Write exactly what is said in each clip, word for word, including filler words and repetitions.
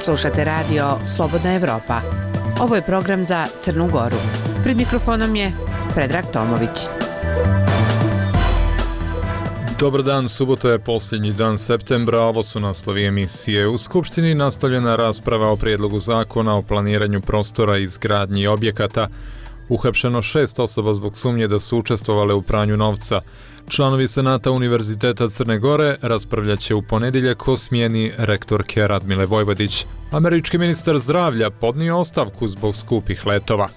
Slušate radio Slobodna Evropa. Ovo je program za Crnu Goru. Pred mikrofonom je Predrag Tomović. Dobar dan, subota je posljednji dan septembra, ovo su naslovi emisije. U Skupštini nastavljena rasprava o prijedlogu zakona o planiranju prostora i izgradnji objekata. Uhapšeno šest osoba zbog sumnje da su učestvovale u pranju novca. Članovi Senata Univerziteta Crne Gore raspravljat će u ponedjeljak o smjeni rektorke Radmile Vojvodić. Američki ministar zdravlja podnio ostavku zbog skupih letova.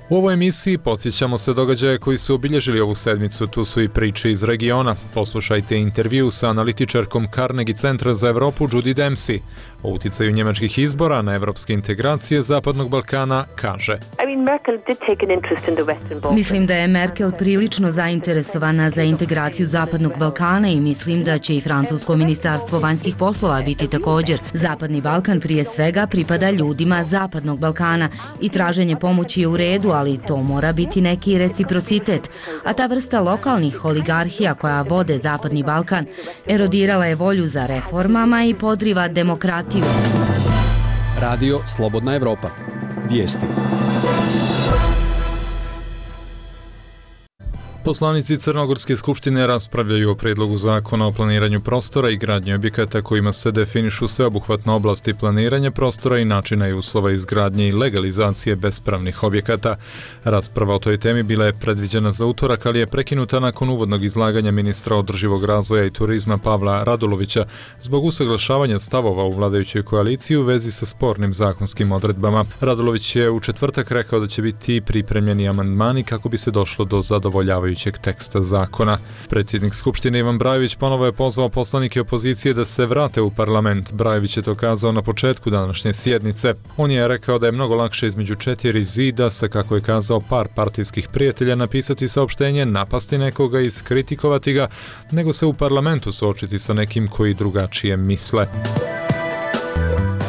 U ovoj emisiji podsjećamo se događaje koji su obilježili ovu sedmicu, tu su i priče iz regiona. Poslušajte intervju sa analitičarkom Carnegie centra za Evropu Judy Dempsey. O uticaju njemačkih izbora na evropske integracije Zapadnog Balkana kaže: Mislim da je Merkel prilično zainteresovana za integraciju Zapadnog Balkana i mislim da će i francusko ministarstvo vanjskih poslova biti također. Zapadni Balkan prije svega pripada ljudima Zapadnog Balkana i traženje pomoći je u redu, ali to mora biti neki reciprocitet. A ta vrsta lokalnih oligarhija koja vode Zapadni Balkan erodirala je volju za reformama i podriva demokratiju. Radio Slobodna Evropa. Vijesti. Poslanici Crnogorske skupštine raspravljaju o prijedlogu zakona o planiranju prostora i gradnji objekata kojima se definišu sveobuhvatne oblasti planiranja prostora i načina i uslova izgradnje i legalizacije bespravnih objekata. Rasprava o toj temi bila je predviđena za utorak, ali je prekinuta nakon uvodnog izlaganja ministra održivog razvoja i turizma Pavla Radulovića zbog usaglašavanja stavova u vladajućoj koaliciji u vezi sa spornim zakonskim odredbama. Radulović je u četvrtak rekao da će biti pripremljeni amandmani kako bi se došlo do zadovoljavajućeg teksta zakona. Predsjednik Skupštine Ivan Brajević ponovo je pozvao poslanike opozicije da se vrate u parlament. Brajević je to kazao na početku današnje sjednice. On je rekao da je mnogo lakše između četiri zida sa, kako je kazao, par partijskih prijatelja napisati saopštenje, napasti nekoga i iskritikovati ga, nego se u parlamentu suočiti sa nekim koji drugačije misle.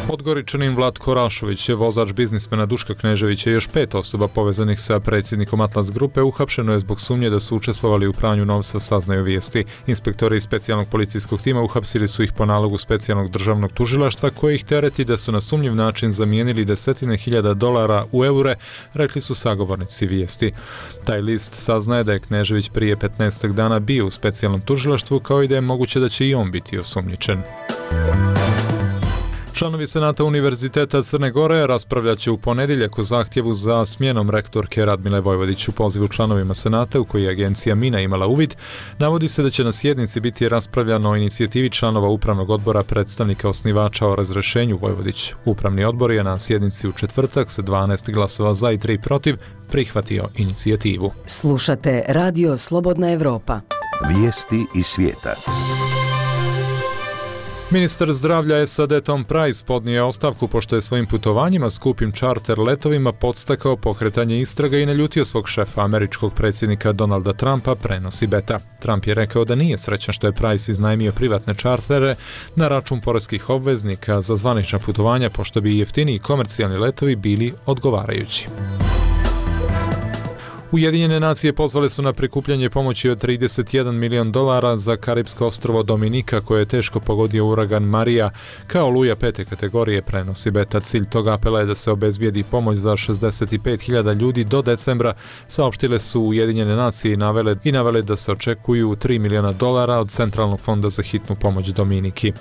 Podgoričanin Vlatko Rašović je vozač biznismena Duška Kneževića i još pet osoba povezanih sa predsjednikom Atlas grupe uhapšeno je zbog sumnje da su učestvovali u pranju novca, saznaju vijesti. Inspektori iz specijalnog policijskog tima uhapsili su ih po nalogu specijalnog državnog tužilaštva koji ih tereti da su na sumnjiv način zamijenili desetine hiljada dolara u eure, rekli su sagovornici vijesti. Taj list saznaje da je Knežević prije petnaestak dana bio u specijalnom tužilaštvu, kao i da je moguće da će i on biti osumnjičen. Članovi Senata Univerziteta Crne Gore raspravljat će u ponedjeljak o zahtjevu za smjenom rektorke Radmile Vojvodić. U pozivu članovima Senata, u koji je agencija Mina imala uvid, navodi se da će na sjednici biti raspravljano o inicijativi članova Upravnog odbora predstavnika osnivača o razrješenju Vojvodić. Upravni odbor je na sjednici u četvrtak sa dvanaest glasova za i tri protiv prihvatio inicijativu. Slušate Radio Slobodna Evropa. Vijesti iz svijeta. Ministar zdravlja S A D Tom Price podnio ostavku pošto je svojim putovanjima skupim čarter letovima podstakao pokretanje istraga i naljutio svog šefa, američkog predsjednika Donalda Trumpa, prenosi Beta. Trump je rekao da nije srećan što je Price iznajmio privatne čartere na račun poreskih obveznika za zvanična putovanja, pošto bi jeftiniji komercijalni letovi bili odgovarajući. Ujedinjene nacije pozvale su na prikupljanje pomoći od trideset jedan milion dolara za Karipsko ostrvo Dominika koje je teško pogodio uragan Marija kao oluja pete kategorije, prenosi Beta. Cilj toga apela je da se obezbijedi pomoć za šezdeset pet hiljada ljudi do decembra, saopštile su Ujedinjene nacije i navele, i navele da se očekuju tri miliona dolara od Centralnog fonda za hitnu pomoć Dominiki.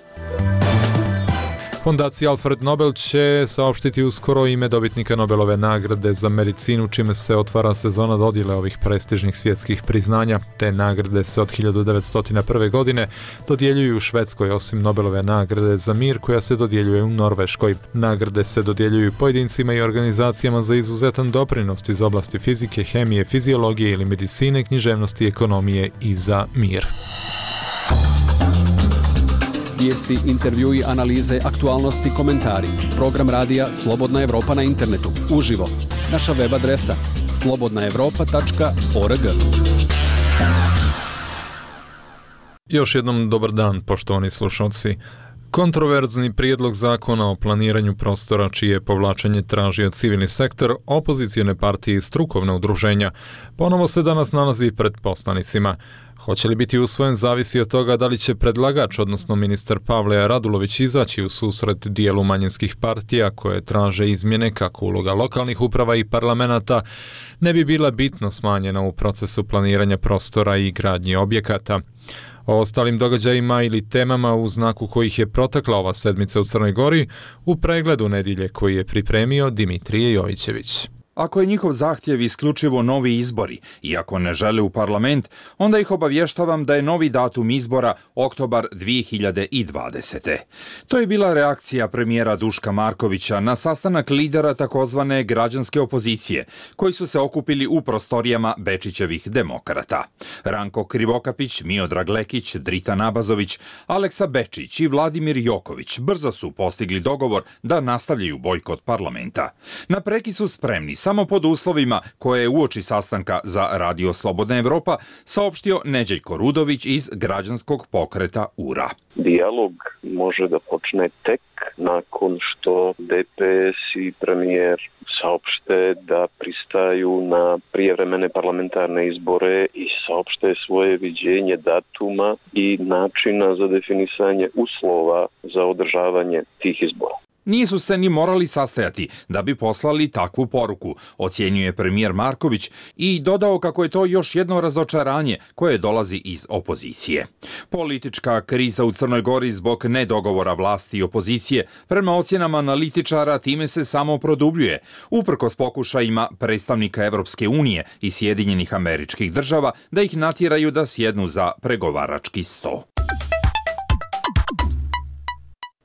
Fondacija Alfred Nobel će saopštiti uskoro ime dobitnika Nobelove nagrade za medicinu, čime se otvara sezona dodjele ovih prestižnih svjetskih priznanja. Te nagrade se od hiljadu devetsto prve. godine dodjeljuju u Švedskoj, osim Nobelove nagrade za mir koja se dodjeljuje u Norveškoj. Nagrade se dodjeljuju pojedincima i organizacijama za izuzetan doprinos iz oblasti fizike, hemije, fiziologije ili medicine, književnosti, ekonomije i za mir. Vijesti, intervjui, analize, aktualnosti, komentari. Program radija Slobodna Evropa na internetu. Uživo. Naša web adresa slobodna evropa tačka org. Još jednom dobar dan, poštovani slušalci. Kontroverzni prijedlog zakona o planiranju prostora čije je povlačenje tražio civilni sektor, opozicijone partije i strukovna udruženja, ponovo se danas nalazi pred poslanicima. Hoće li biti usvojen zavisi od toga da li će predlagač, odnosno ministar Pavle Radulović, izaći u susret dijelu manjinskih partija koje traže izmjene kako uloga lokalnih uprava i parlamenta ne bi bila bitno smanjena u procesu planiranja prostora i gradnje objekata. O ostalim događajima ili temama u znaku kojih je protekla ova sedmica u Crnoj Gori u pregledu nedjelje koji je pripremio Dimitrije Jovićević. Ako je njihov zahtjev isključivo novi izbori i ako ne žele u parlament, onda ih obavještavam da je novi datum izbora oktobar dvije hiljade dvadesete. To je bila reakcija premijera Duška Markovića na sastanak lidera takozvane građanske opozicije, koji su se okupili u prostorijama Bečićevih demokrata. Ranko Krivokapić, Miodrag Lekić, Drita Nabazović, Aleksa Bečić i Vladimir Joković brzo su postigli dogovor da nastavljaju bojkot parlamenta. Na preki su spremni samo pod uslovima koje je uoči sastanka za Radio Slobodna Evropa saopštio Neđeljko Rudović iz građanskog pokreta U R A. Dijalog može da počne tek nakon što D P S i premijer saopšte da pristaju na prijevremene parlamentarne izbore i saopšte svoje viđenje datuma i načina za definisanje uslova za održavanje tih izbora. Nisu se ni morali sastajati da bi poslali takvu poruku, ocjenjuje premijer Marković i dodao kako je to još jedno razočaranje koje dolazi iz opozicije. Politička kriza u Crnoj Gori zbog nedogovora vlasti i opozicije prema ocjenama analitičara time se samo produbljuje, uprkos pokušajima predstavnika Evropske unije i Sjedinjenih Američkih Država da ih natjeraju da sjednu za pregovarački sto.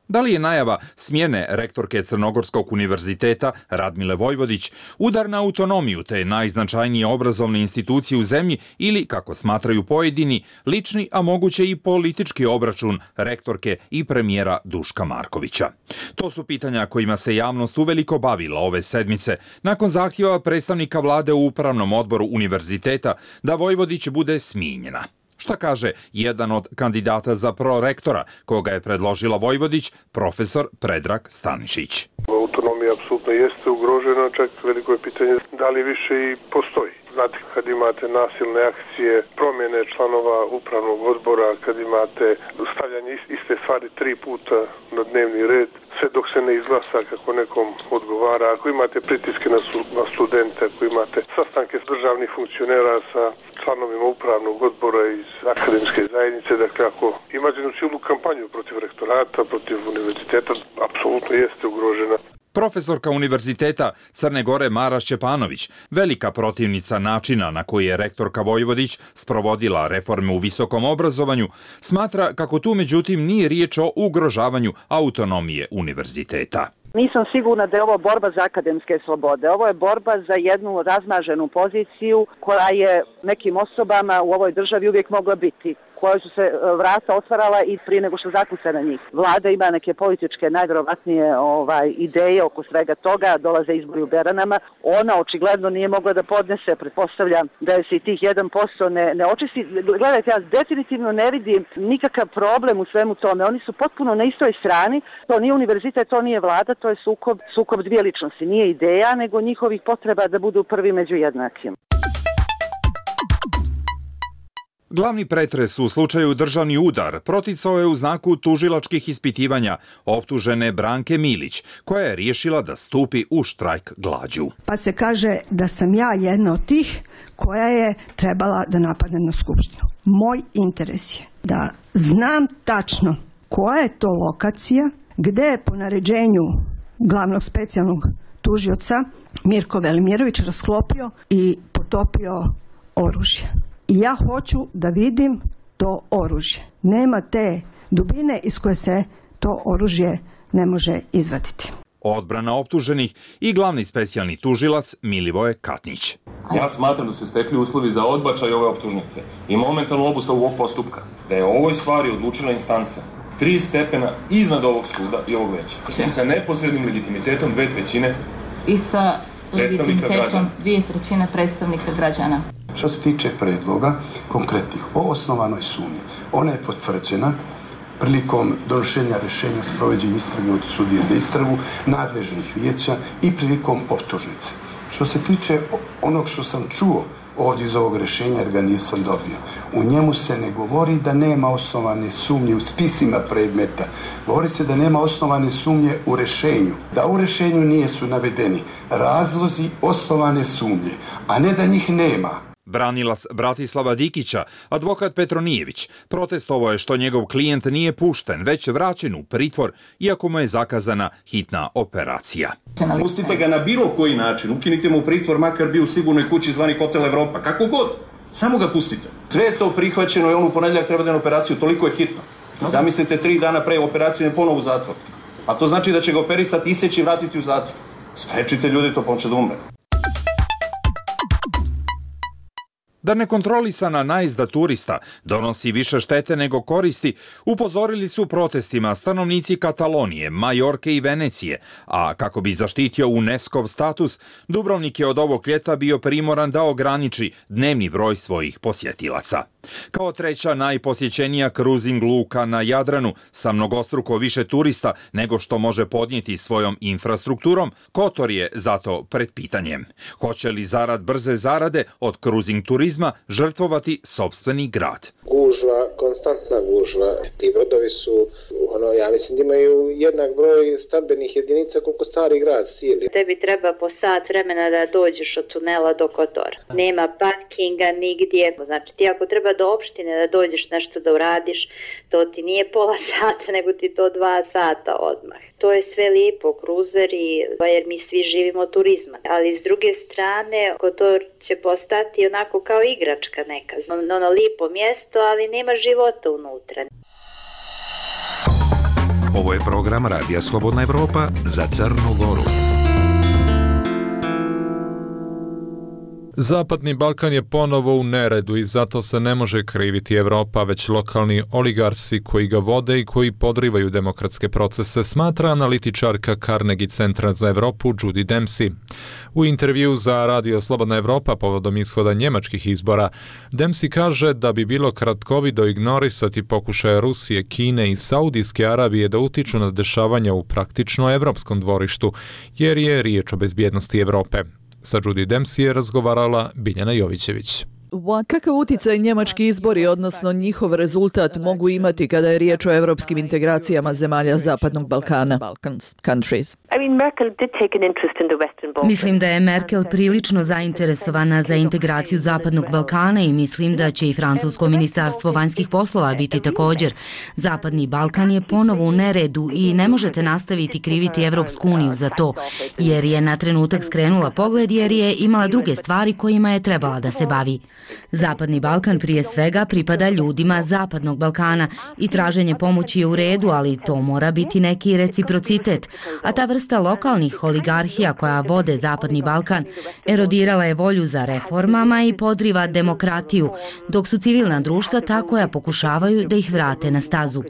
Da li je najava smjene rektorke Crnogorskog univerziteta Radmile Vojvodić udar na autonomiju te najznačajnije obrazovne institucije u zemlji ili, kako smatraju pojedini, lični, a moguće i politički obračun rektorke i premijera Duška Markovića? To su pitanja kojima se javnost uveliko bavila ove sedmice nakon zahtjeva predstavnika vlade u upravnom odboru univerziteta da Vojvodić bude smijenjena. Šta kaže jedan od kandidata za prorektora, koga je predložila Vojvodić, profesor Predrag Stanišić. Autonomija apsolutno jeste ugrožena, čak veliko je pitanje da li više i postoji. Znate, kad imate nasilne akcije, promjene članova upravnog odbora, kad imate stavljanje iste stvari tri puta na dnevni red, sve dok se ne izglasa kako nekom odgovara, ako imate pritiske na, su, na studente, ako imate sastanke s državnih funkcionera sa članovima upravnog odbora iz akademske zajednice, dakle ako imate jednu cijelu kampanju protiv rektorata, protiv univerziteta, apsolutno jeste ugrožena. Profesorka Univerziteta Crne Gore Mara Šćepanović, velika protivnica načina na koji je rektorka Vojvodić sprovodila reforme u visokom obrazovanju, smatra kako tu međutim nije riječ o ugrožavanju autonomije univerziteta. Nisam sigurna da je ovo borba za akademske slobode. Ovo je borba za jednu razmaženu poziciju koja je nekim osobama u ovoj državi uvijek mogla biti, koje su se vrata otvarala i prije nego što zakuca na njih. Vlada ima neke političke najvjerovatnije ovaj, ideje oko svega toga, dolaze izbori u Beranama. Ona očigledno nije mogla da podnese, pretpostavljam da je se i tih jedan posto ne, ne očisti. Gledajte, ja definitivno ne vidim nikakav problem u svemu tome. Oni su potpuno na istoj strani. To nije univerzitet, to nije vlada, to je sukob, sukob dvije ličnosti. Nije ideja, nego njihovih potreba da budu prvi među jednakim. Glavni pretres u slučaju državni udar proticao je u znaku tužilačkih ispitivanja optužene Branke Milić, koja je riješila da stupi u štrajk glađu. Pa se kaže da sam ja jedna od tih koja je trebala da napadne na skupštinu. Moj interes je da znam tačno koja je to lokacija, gde je po naređenju glavnog specijalnog tužioca Mirko Velimirović rasklopio i potopio oružje. I ja hoću da vidim to oružje. Nema te dubine iz koje se to oružje ne može izvaditi. Odbrana optuženih i glavni specijalni tužilac Milivoje Katnić. Ja smatram da su stekli uslovi za odbačaj ove optužnice i momentalnu obustavu ovog postupka. Da je o ovoj stvari odlučila instanca tri stepena iznad ovog suda i ovog veća. I sa neposrednim legitimitetom dve trećine i sa legitimitetom dvije trećine predstavnika građana. Što se tiče predloga konkretnih o osnovanoj sumnji, ona je potvrđena prilikom donošenja rješenja s provođenjem istrage od sudije za istragu, nadležnih vijeća i prilikom optužnice. Što se tiče onog što sam čuo ovdje iz ovog rješenja, jer ga nisam dobio, u njemu se ne govori da nema osnovane sumnje u spisima predmeta. Govori se da nema osnovane sumnje u rješenju. Da u rješenju nisu navedeni razlozi osnovane sumnje, a ne da njih nema. Branila Bratislava Dikića, advokat Petronijević, protestovao je što njegov klijent nije pušten, već vraćen u pritvor, iako mu je zakazana hitna operacija. Pustite ga na bilo koji način, ukinite mu pritvor, makar bio u sigurnoj kući zvani Hotel Evropa, kako god, samo ga pustite. Sve je to prihvaćeno i on u ponedjeljak treba da na operaciju, toliko je hitno. Zamislite, tri dana pre operacije je ponovo u zatvor. A to znači da će ga operisati, iseći i vratiti u zatvor. Sprečite ljudi, to pomoće da umre. Da nekontrolisana najezda turista donosi više štete nego koristi, upozorili su protestima stanovnici Katalonije, Majorke i Venecije, a kako bi zaštitio UNESCO-v status, Dubrovnik je od ovog ljeta bio primoran da ograniči dnevni broj svojih posjetilaca. Kao treća najposjećenija kruzing luka na Jadranu sa mnogostruko više turista nego što može podnijeti svojom infrastrukturom, Kotor je zato pred pitanjem. Hoće li zarad brze zarade od kruzing turizma žrtvovati sopstveni grad? Gužva, konstantna gužva. Ti brodovi su, ono, ja mislim da imaju jednak broj stambenih jedinica koliko stari grad cijeli. Tebi treba po sat vremena da dođeš od tunela do Kotora. Nema parkinga nigdje. Znači ti ako treba do opštine da dođeš nešto da uradiš, to ti nije pola sata, nego ti to dva sata odmah. To je sve lijepo, kruzeri, jer mi svi živimo od turizma. Ali s druge strane, Kotor će postati onako kao igračka neka. Ono lijepo mjesto, ali nema života unutra. Ovo je program Radija Slobodna Evropa za Crnu Goru. Zapadni Balkan je ponovo u neredu i zato se ne može kriviti Evropa, već lokalni oligarsi koji ga vode i koji podrivaju demokratske procese, smatra analitičarka Carnegie Centra za Evropu Judy Dempsey. U intervju za Radio Slobodna Evropa povodom ishoda njemačkih izbora, Dempsey kaže da bi bilo kratkovido ignorisati pokušaje Rusije, Kine i Saudijske Arabije da utiču na dešavanja u praktično evropskom dvorištu, jer je riječ o bezbjednosti Evrope. Sa Judy Dempsey je razgovarala Biljana Jovićević. Kakav uticaj njemački izbori, odnosno njihov rezultat, mogu imati kada je riječ o evropskim integracijama zemalja Zapadnog Balkana? Mislim da je Merkel prilično zainteresovana za integraciju Zapadnog Balkana i mislim da će i francusko ministarstvo vanjskih poslova biti također. Zapadni Balkan je ponovo u neredu i ne možete nastaviti kriviti Evropsku uniju za to, jer je na trenutak skrenula pogled jer je imala druge stvari kojima je trebala da se bavi. Zapadni Balkan prije svega pripada ljudima Zapadnog Balkana i traženje pomoći je u redu, ali to mora biti neki reciprocitet. A ta vrsta lokalnih oligarhija koja vode Zapadni Balkan erodirala je volju za reformama i podriva demokratiju, dok su civilna društva ta koja pokušavaju da ih vrate na stazu.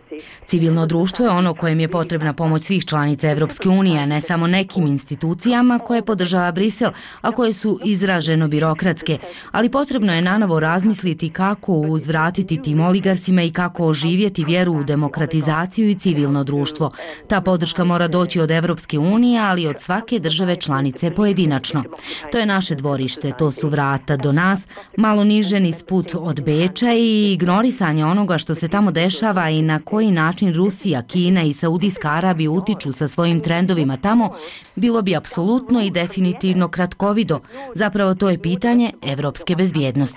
Civilno društvo je ono kojem je potrebna pomoć svih članica Evropske unije, a ne samo nekim institucijama koje podržava Brisel, a koje su izraženo birokratske, ali potrebno je nanovo razmisliti kako uzvratiti tim oligarsima i kako oživjeti vjeru u demokratizaciju i civilno društvo. Ta podrška mora doći od Evropske unije, ali od svake države članice pojedinačno. To je naše dvorište, to su vrata do nas, malo niže niz put od Beča i ignorisanje onoga što se tamo dešava i na koji način Rusija, Kina i Saudijska Arabija utiču sa svojim trendovima tamo, bilo bi apsolutno i definitivno kratkovido. Zapravo to je pitanje evropske bezbjednosti.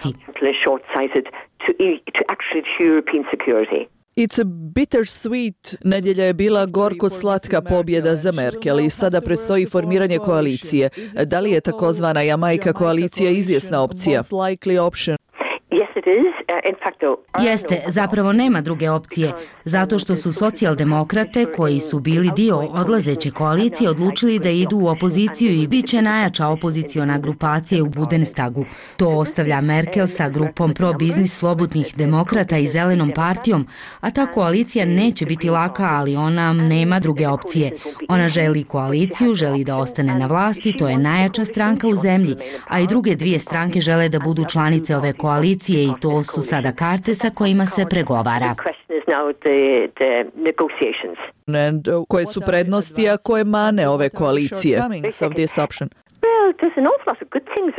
It's a bittersweet. Nedjelja je bila gorko-slatka pobjeda za Merkel i sada predstoji formiranje koalicije. Da li je takozvana Jamajka koalicija izvjesna opcija? Jeste, zapravo nema druge opcije, zato što su socijaldemokrate koji su bili dio odlazeće koalicije odlučili da idu u opoziciju i bit će najjača opoziciona grupacija u Bundestagu. To ostavlja Merkel sa grupom pro-biznis slobodnih demokrata i zelenom partijom, a ta koalicija neće biti laka, ali ona nema druge opcije. Ona želi koaliciju, želi da ostane na vlasti, to je najjača stranka u zemlji, a i druge dvije stranke žele da budu članice ove koalicije i to su sada karte sa kojima se pregovara. now the, the negotiations. And uh, koje su prednosti, a koje mane ove koalicije?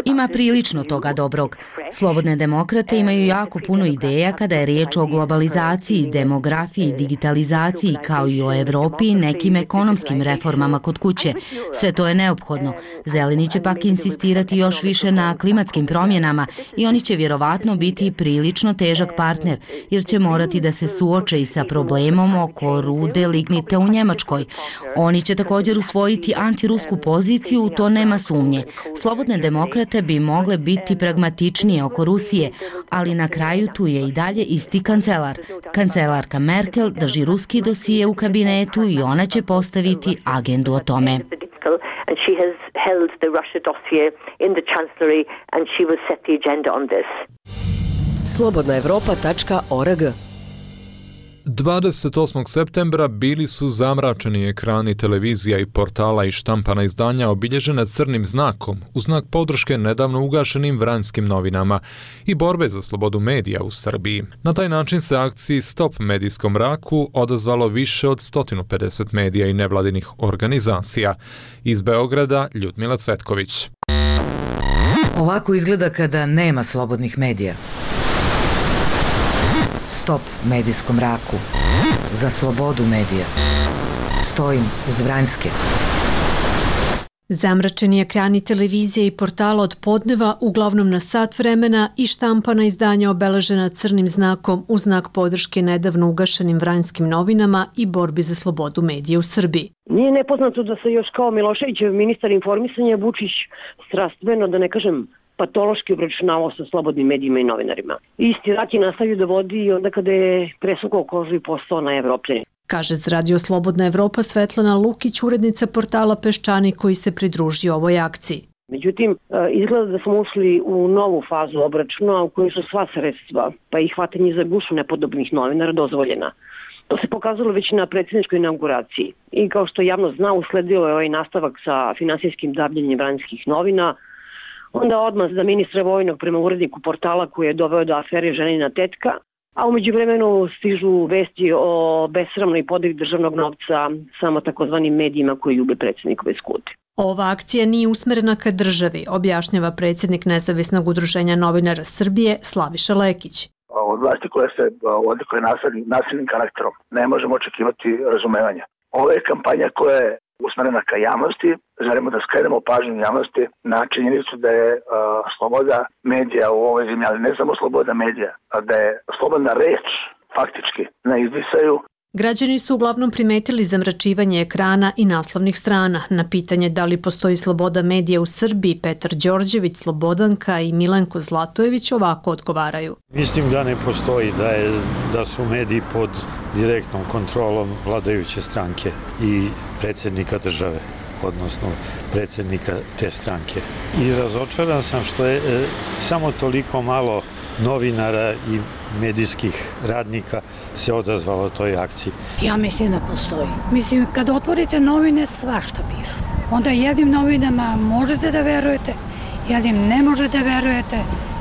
Ima prilično toga dobrog. Slobodne demokrate imaju jako puno ideja kada je riječ o globalizaciji, demografiji, digitalizaciji, kao i o Evropi i nekim ekonomskim reformama kod kuće. Sve to je neophodno. Zeleni će pak insistirati još više na klimatskim promjenama i oni će vjerovatno biti prilično težak partner, jer će morati da se suoče i sa problemom oko rude lignite u Njemačkoj. Oni će također usvojiti antirusku poziciju, to nema sumnje. Slobodne demokrate bi mogle biti pragmatičnije oko Rusije, ali na kraju tu je i dalje isti kancelar. Kancelarka Merkel drži ruski dosije u kabinetu i ona će postaviti agendu o tome. slobodna evropa tačka org. dvadeset osmog septembra bili su zamračeni ekrani televizija i portala i štampana izdanja obilježene crnim znakom u znak podrške nedavno ugašenim Vranjskim novinama i borbe za slobodu medija u Srbiji. Na taj način se akciji Stop medijskom mraku odazvalo više od sto pedeset medija i nevladinih organizacija. Iz Beograda Ljudmila Cvetković. Ovako izgleda kada nema slobodnih medija. Stop medijskom mraku. Za slobodu medija. Stojim uz Vranjske. Zamračeni ekrani televizije i portala od podneva, uglavnom na sat vremena, i štampana izdanja obeležena crnim znakom u znak podrške nedavno ugašenim Vranjskim novinama i borbi za slobodu medija u Srbiji. Nije nepoznato da se još kao Miloševićev ministar informisanja Vučić strastveno, da ne kažem patološki obračunavao sa slobodnim medijima i novinarima. Isti rat je nastavio da vodi i onda kada je presukao kožu i postao na Evropljani. Kaže za Radio Slobodna Evropa Svetlana Lukić, urednica portala Peščanik koji se pridružio ovoj akciji. Međutim, izgleda da smo ušli u novu fazu obračuna u kojoj su sva sredstva, pa i hvatanje za gušu nepodobnih novinara dozvoljena. To se pokazalo već na predsjedničkoj inauguraciji. I kao što javno zna, usledio je ovaj nastavak sa finansijskim dabljenjem Vranjskih novina, onda odmah za ministra vojnog prema uredniku portala koji je doveo do afere ženina tetka, a u međuvremenu stižu vesti o besramnoj podeli državnog novca samo takozvanim medijima koji ljube predsjednikove skute. Ova akcija nije usmerena ka državi, objašnjava predsjednik Nezavisnog udruženja novinara Srbije Slaviša Lekić. Od vlasti koja se odlikuje nasilnim karakterom ne možemo očekivati razumevanja. Ovo je kampanja koja je usmerena ka javnosti, želimo da skrenemo pažnju javnosti na činjenicu da je uh, sloboda medija u ovoj zemlji, ali ne samo sloboda medija, a da je slobodna reč faktički na izdisaju. Građani su uglavnom primetili zamračivanje ekrana i naslovnih strana. Na pitanje da li postoji sloboda medija u Srbiji, Petar Đorđević, Slobodanka i Milenko Zlatojević ovako odgovaraju. Mislim da ne postoji, da, je, da su mediji pod direktnom kontrolom vladajuće stranke i predsjednika države, odnosno predsjednika te stranke. I razočaran sam što je e, samo toliko malo novinara i medijskih radnika se odazvalo toj akciji. Ja mislim da postoji. Mislim, kad otvorite novine, svašta pišu. Onda jednim novinama možete da verujete, jednim ne možete da verujete.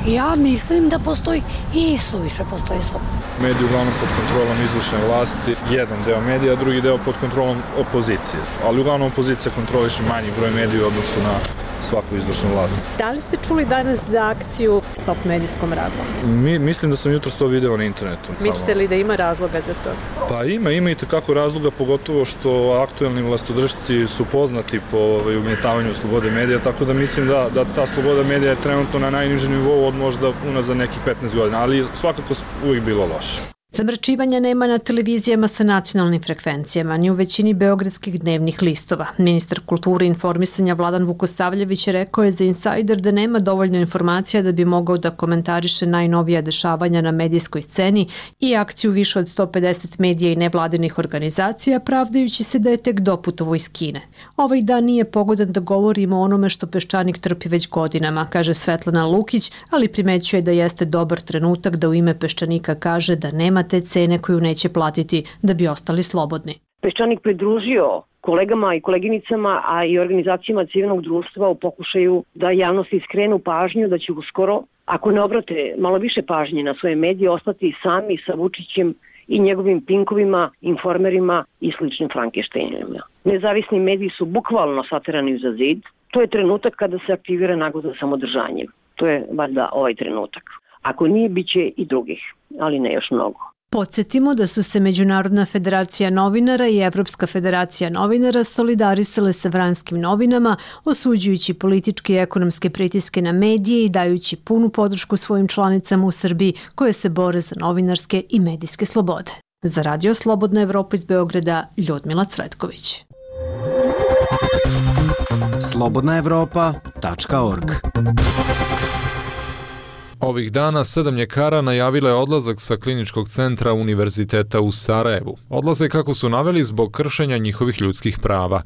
Ja mislim da postoji i suviše postoji slobodno. Mediji uglavnom pod kontrolom izvršne vlasti, jedan deo medija, drugi deo pod kontrolom opozicije. Ali uglavnom opozicija kontroliše manji broj medija u odnosu na svaku izvršnu vlast. Da li ste čuli danas za akciju Stop medijskom mraku? Mi, mislim da sam jutro to video na internetu. Mislite li da ima razloga za to? Pa ima, ima i takako razloga, pogotovo što aktuelni vlastodržci su poznati po ovaj, ugnjetavanju slobode medija, tako da mislim da, da ta sloboda medija je trenutno na najnižem nivou od možda unazad nekih petnaest godina, ali svakako uvijek bilo loše. Zamračivanja nema na televizijama sa nacionalnim frekvencijama, ni u većini beogradskih dnevnih listova. Ministar kulture i informisanja Vladan Vukosavljević rekao je za Insider da nema dovoljno informacija da bi mogao da komentariše najnovija dešavanja na medijskoj sceni i akciju više od sto pedeset medija i nevladinih organizacija, pravdajući se da je tek doputovo iz Kine. Ovaj dan nije pogodan da govorimo o onome što Peščanik trpi već godinama, kaže Svetlana Lukić, ali primećuje da jeste dobar trenutak da u ime Peščanika kaže da nema te cene koju neće platiti da bi ostali slobodni. Peščanik pridružio kolegama i koleginicama, a i organizacijama civilnog društva u pokušaju da javnosti skrenu pažnju da će uskoro, ako ne obrate malo više pažnje na svoje medije, ostati sami sa Vučićem i njegovim pinkovima, informerima i sličnim Frankensteinima. Nezavisni mediji su bukvalno saterani za zid. To je trenutak kada se aktivira nagoda samodržanjem. To je valjda ovaj trenutak. Ako nije, bit će i drugih, ali ne još mnogo. Podsjetimo da su se Međunarodna federacija novinara i Evropska federacija novinara solidarisale sa vranskim novinama, osuđujući političke i ekonomske pritiske na medije i dajući punu podršku svojim članicama u Srbiji koje se bore za novinarske i medijske slobode. Za Radio Slobodna Evropa iz Beograda, Ljudmila Cvetković. slobodna evropa tačka org. Ovih dana sedam ljekara najavilo je odlazak sa kliničkog centra Univerziteta u Sarajevu. Odlaze, kako su naveli, zbog kršenja njihovih ljudskih prava.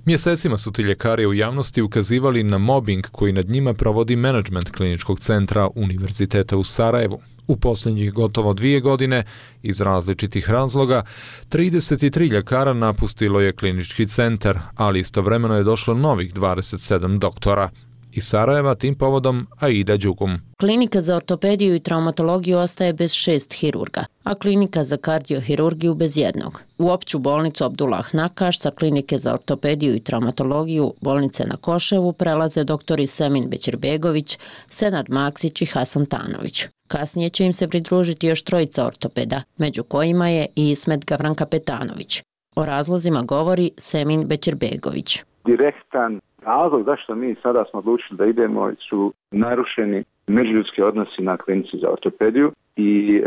Mjesecima su ti ljekari u javnosti ukazivali na mobing koji nad njima provodi menadžment kliničkog centra Univerziteta u Sarajevu. U posljednjih gotovo dvije godine, iz različitih razloga, trideset tri ljekara napustilo je klinički centar, ali istovremeno je došlo novih dvadeset sedam doktora. Iz Sarajeva tim povodom Aida Đugum. Klinika za ortopediju i traumatologiju ostaje bez šest hirurga, a klinika za kardiohirurgiju bez jednog. U opću bolnicu Abdullah Nakaš sa klinike za ortopediju i traumatologiju bolnice na Koševu prelaze doktori Semin Bećirbegović, Senad Maksić i Hasan Tanović. Kasnije će im se pridružiti još trojica ortopeda, među kojima je i Ismet Gavran-Kapetanović. O razlozima govori Semin Bećirbegović. Direktan razlog zašto mi sada smo odlučili da idemo su narušeni međuljudski odnosi na klinici za ortopediju i e,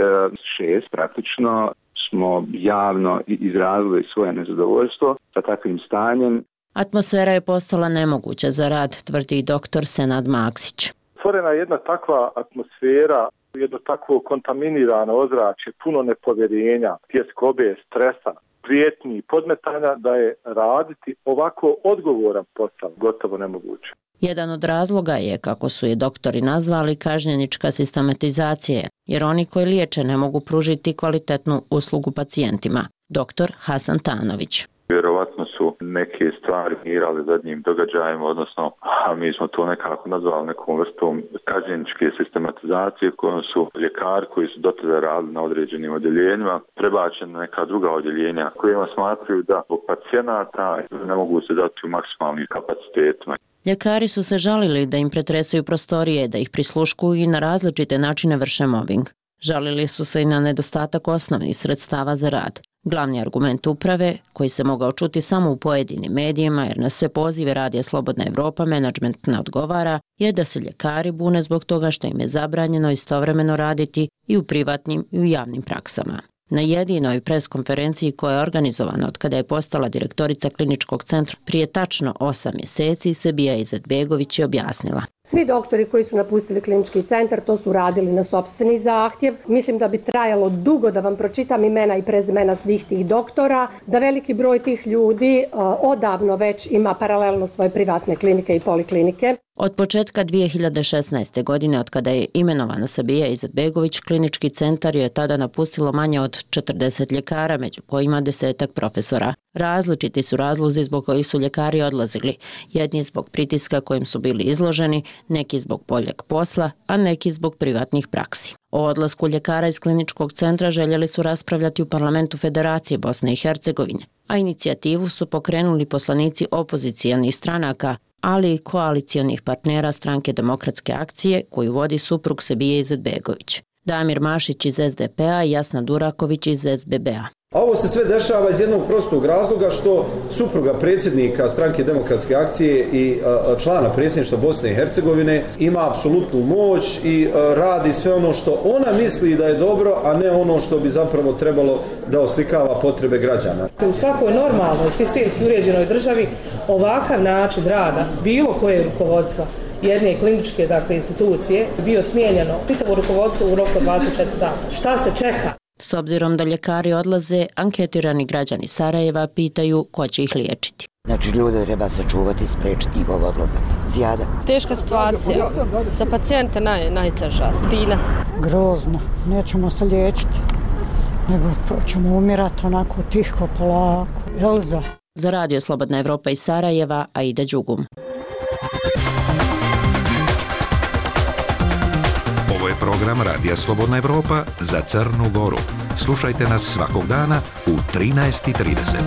šest praktično smo javno izrazili svoje nezadovoljstvo sa takvim stanjem. Atmosfera je postala nemoguća za rad, tvrdi doktor Senad Maksić. Stvorena je jedna takva atmosfera, jedno takvo kontaminirano ozračje, puno nepovjerenja, tjeskobe, stresa, prijetnji, podmetanja, da je raditi ovako odgovoran posao gotovo nemoguće. Jedan od razloga je, kako su je doktori nazvali, kažnjenička sistematizacija, jer oni koji liječe ne mogu pružiti kvalitetnu uslugu pacijentima. Doktor Hasan Tanović. Vjerovatno su neke stvari mirali zadnjim događajima, odnosno a mi smo to nekako nazvali nekom vrstom kažnjeničke sistematizacije kojom su ljekari koji su do tada radili na određenim odjeljenjima prebačeni na neka druga odjeljenja kojima smatraju da zbog pacijenata ne mogu se dati u maksimalnim kapacitetima. Ljekari su se žalili da im pretresaju prostorije, da ih prisluškuju i na različite načine vrše mobing. Žalili su se i na nedostatak osnovnih sredstava za rad. Glavni argument uprave, koji se mogao čuti samo u pojedinim medijima jer na sve pozive Radija Slobodna Evropa menadžment ne odgovara, je da se ljekari bune zbog toga što im je zabranjeno istovremeno raditi i u privatnim i u javnim praksama. Na jedinoj preskonferenciji koja je organizovana od kada je postala direktorica kliničkog centra prije tačno osam mjeseci, Sebija Izetbegović je objasnila. Svi doktori koji su napustili klinički centar to su radili na sopstveni zahtjev. Mislim da bi trajalo dugo da vam pročitam imena i prezimena svih tih doktora, da veliki broj tih ljudi uh, odavno već ima paralelno svoje privatne klinike i poliklinike. Od početka dvije hiljade šesnaeste. godine, od kada je imenovana Sebija Izetbegović, klinički centar je tada napustilo manje od četrdeset ljekara, među kojima desetak profesora. Različiti su razlozi zbog kojih su ljekari odlazili, jedni zbog pritiska kojim su bili izloženi, neki zbog boljeg posla, a neki zbog privatnih praksi. O odlasku ljekara iz kliničkog centra željeli su raspravljati u parlamentu Federacije Bosne i Hercegovine, a inicijativu su pokrenuli poslanici opozicijalnih stranaka, ali i koalicijonih partnera Stranke demokratske akcije koju vodi suprug Sebije Izetbegović. Damir Mašić iz es de pe a i Jasna Duraković iz es be be a. A ovo se sve dešava iz jednog prostog razloga što supruga predsjednika Stranke demokratske akcije i a, člana predsjedništva Bosne i Hercegovine ima apsolutnu moć i a, radi sve ono što ona misli da je dobro, a ne ono što bi zapravo trebalo da oslikava potrebe građana. U svakoj normalnoj, sistemski uređenoj državi ovakav način rada bilo koje rukovodstva jedne kliničke dakle, institucije bio smijenjeno čitavo rukovodstvo u roku dvadeset četiri sata. Šta se čeka? S obzirom da ljekari odlaze, anketirani građani Sarajeva pitaju ko će ih liječiti. Znači ljude treba sačuvati i spriječiti njihov odlazak. Zijada. Teška situacija. Za pacijente naj, najteža. Stina. Grozno. Nećemo se liječiti. Nego ćemo umirati onako tiho, polako. Elza. Za Radio Slobodna Evropa iz Sarajeva, Aida Đugum. Ovo je program Radija Slobodna Evropa za Crnu Goru. Slušajte nas svakog dana u trinaest i trideset.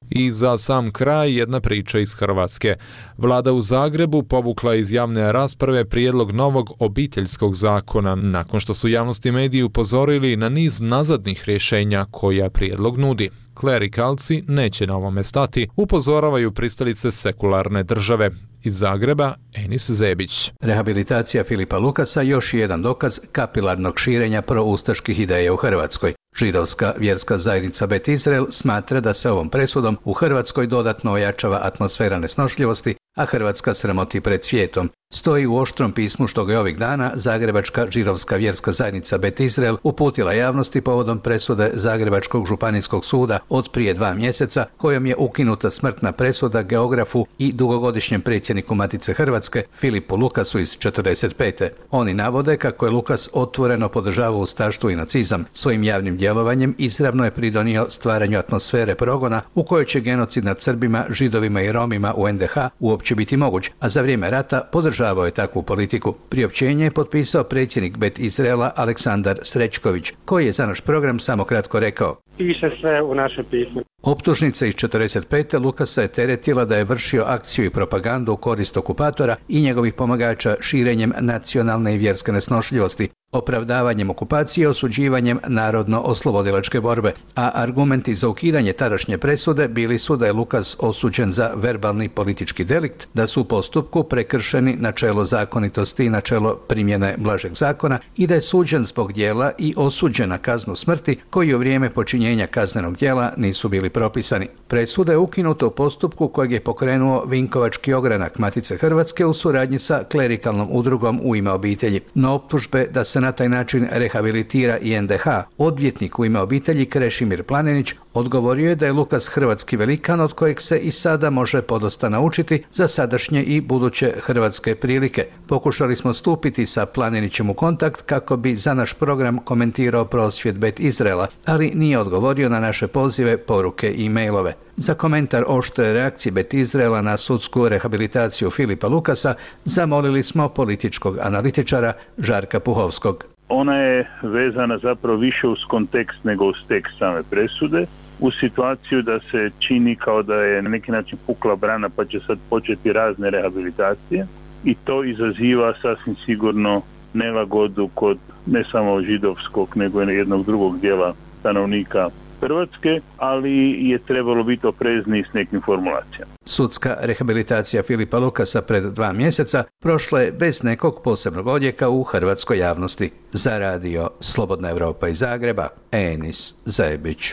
I za sam kraj jedna priča iz Hrvatske. Vlada u Zagrebu povukla iz javne rasprave prijedlog novog obiteljskog zakona nakon što su javnosti mediji upozorili na niz nazadnih rješenja koja prijedlog nudi. Klerikalci neće na ovome stati, upozoravaju pristalice sekularne države. Iz Zagreba, Enis Zebić. Rehabilitacija Filipa Lukasa još je jedan dokaz kapilarnog širenja proustaških ideja u Hrvatskoj. Židovska vjerska zajednica Bet Izrael smatra da se ovom presudom u Hrvatskoj dodatno ojačava atmosfera nesnošljivosti, a Hrvatska sramoti pred svijetom. Stoji u oštrom pismu što ga je ovih dana Zagrebačka židovska vjerska zajednica Bet Izrael uputila javnosti povodom presude Zagrebačkog županijskog suda od prije dva mjeseca, kojom je ukinuta smrtna presuda geografu i dugogodišnjem predsjedniku Matice Hrvatske Filipu Lukasu iz četrdeset pete. Oni navode kako je Lukas otvoreno podržavao ustaštvo i nacizam. Svojim javnim djelovanjem izravno je pridonio stvaranju atmosfere progona u kojoj će genocid nad Srbima, Židovima i Romima u en de ha uopće biti moguć, a za vrijeme rata podržavao je takvu politiku. Priopćenje je potpisao predsjednik Bet Izraela Aleksandar Srećković, koji je za naš program samo kratko rekao: Piše sve u naše pismo. Optužnica iz četrdeset pete Lukasa je teretila da je vršio akciju i propagandu u korist okupatora i njegovih pomagača širenjem nacionalne i vjerske nesnošljivosti, opravdavanjem okupacije i osuđivanjem narodno-oslobodilačke borbe, a argumenti za ukidanje tadašnje presude bili su da je Lukas osuđen za verbalni politički delikt, da su u postupku prekršeni načelo zakonitosti i načelo primjene blažeg zakona i da je suđen zbog djela i osuđen na kaznu smrti koji u vrijeme počinjenja kaznenog djela nisu bili propisani. Presuda je ukinuta u postupku kojeg je pokrenuo Vinkovački ogranak Matice Hrvatske u suradnji sa klerikalnom udrugom U ime obitelji. No optužbe da se na taj način rehabilitira i en de ha, odvjetnik U ime obitelji Krešimir Planinić odgovorio je da je Lukas hrvatski velikan od kojeg se i sada može podosta naučiti za sadašnje i buduće hrvatske prilike. Pokušali smo stupiti sa Planinićem u kontakt kako bi za naš program komentirao prosvjed Bet Izraela, ali nije odgovorio na naše pozive, poruke i mailove. Za komentar oštre reakcije Bet Izraela na sudsku rehabilitaciju Filipa Lukasa zamolili smo političkog analitičara Žarka Puhovskog. Ona je vezana zapravo više uz kontekst nego uz tekst same presude, u situaciju da se čini kao da je na neki način pukla brana pa će sad početi razne rehabilitacije i to izaziva sasvim sigurno nelagodu kod ne samo židovskog nego i jednog drugog dijela stanovnika Hrvatske, ali je trebalo biti oprezniji s nekim formulacijama. Sudska rehabilitacija Filipa Lukasa pred dva mjeseca prošla je bez nekog posebnog odjeka u hrvatskoj javnosti. Za radio Slobodna Evropa iz Zagreba, Enis Zebić.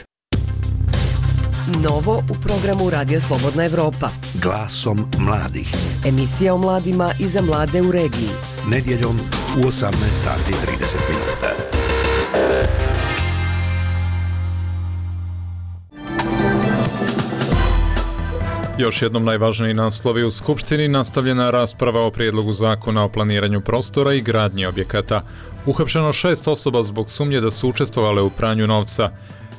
Novo u programu Radija Slobodna Evropa. Glasom mladih. Emisija o mladima i za mlade u regiji. Nedjeljom u osamnaest sati i trideset minuta. Još jednom najvažniji naslovi u Skupštini, nastavljena rasprava o prijedlogu zakona o planiranju prostora i gradnji objekata. Uhapšeno šest osoba zbog sumnje da su učestvovale u pranju novca.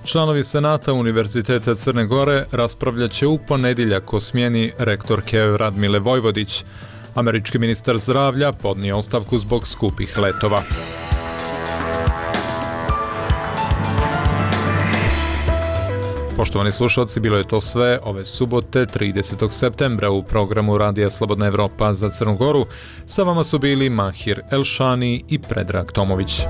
Članovi Senata Univerziteta Crne Gore raspravljat će u ponedjeljak o smjeni rektorke Radmile Vojvodić. Američki ministar zdravlja podnio ostavku zbog skupih letova. Poštovani slušalci, bilo je to sve ove subote tridesetog septembra u programu Radija Slobodna Evropa za Crnu Goru. Sa vama su bili Mahir Elšani i Predrag Tomović.